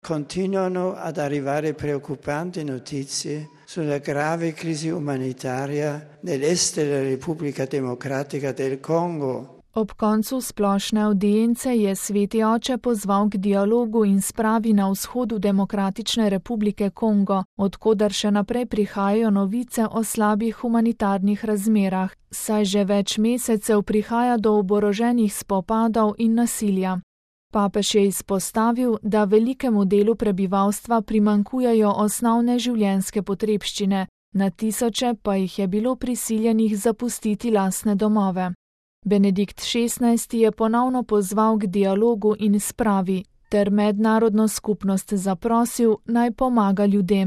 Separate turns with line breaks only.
Continuano ad arrivare preoccupanti notizie sulla grave crisi umanitaria nell'est della Repubblica Demokratika del Kongo.
Ob koncu splošne audience je Sveti oče pozval k dialogu in spravi na vzhodu Demokratične republike Kongo, odkoder še naprej prihajajo novice o slabih humanitarnih razmerah, saj že več mesecev prihaja do oboroženih spopadov in nasilja. Papež je izpostavil, da velikemu delu prebivalstva primanjkujejo osnovne življenjske potrebščine, na tisoče pa jih je bilo prisiljenih zapustiti lastne domove. Benedikt XVI je ponovno pozval k dialogu in spravi ter mednarodno skupnost zaprosil, naj pomaga ljudem.